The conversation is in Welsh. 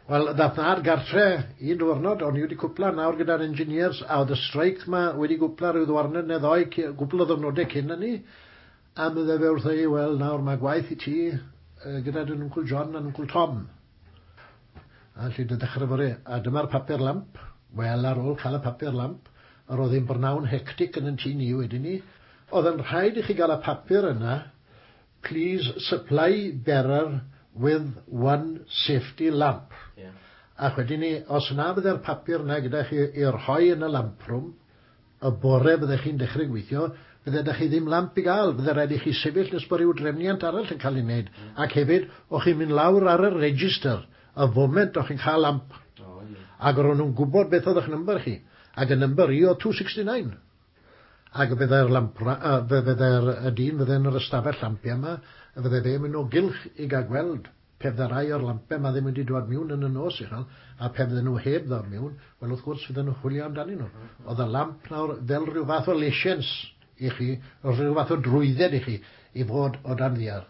Wel, ddath nhad gartre un diwrnod, o'n i wedi cwpla nawr gyda'r engineers, a oedd y streic ma wedi gwpla rhyw ddwarnod neu ddoi, gwpl o ddwrnodau cyn hynny, a medde fe wrtho i, "Wel, nawr mae gwaith i ti gyda dy Wncwl John a Wncwl Tom. A lle dy ddechrau fore, a dyma'r papur lamp." Wel, ar ôl cael y papur lamp, yr oedd hi'n brynawn hectic yn yn tŷ ni wedyn ni. Oedd yn rhaid i chi gael y papur yna, "Please supply bearer with one safety lamp." Ac wedyn ni, os na fydde'r papur yna gyda chi i rhoi yn y lamp room, y bore byddech chi'n dechrau gweithio, bydde ydych chi ddim lamp i gael, bydde rhaid i chi sefyll nes bod rhyw drefniant arall yn cael ei wneud. Ac hefyd, o'ch chi'n mynd lawr ar y register, y foment o'ch chi'n cael lamp. O, ie. Ac ro'n nhw'n gwybod beth oedd eich number chi. Ac y number i oedd 269. Ac fydde'r lamp, fydde'r y dyn fydde'n yr ystafell lampiau yma, a fydde fe'n mynd o gylch i gael gweld pe fydde rai o'r lampau yma ddim wedi dod mewn yn y nos i chael, a pe fydden nhw heb ddod mewn, wel wrth gwrs fydden nhw chwilio amdanyn nhw. Oedd y lamp nawr fel rhyw fath o license i chi, rhyw fath o drwydded i chi, i fod o dan ddiar.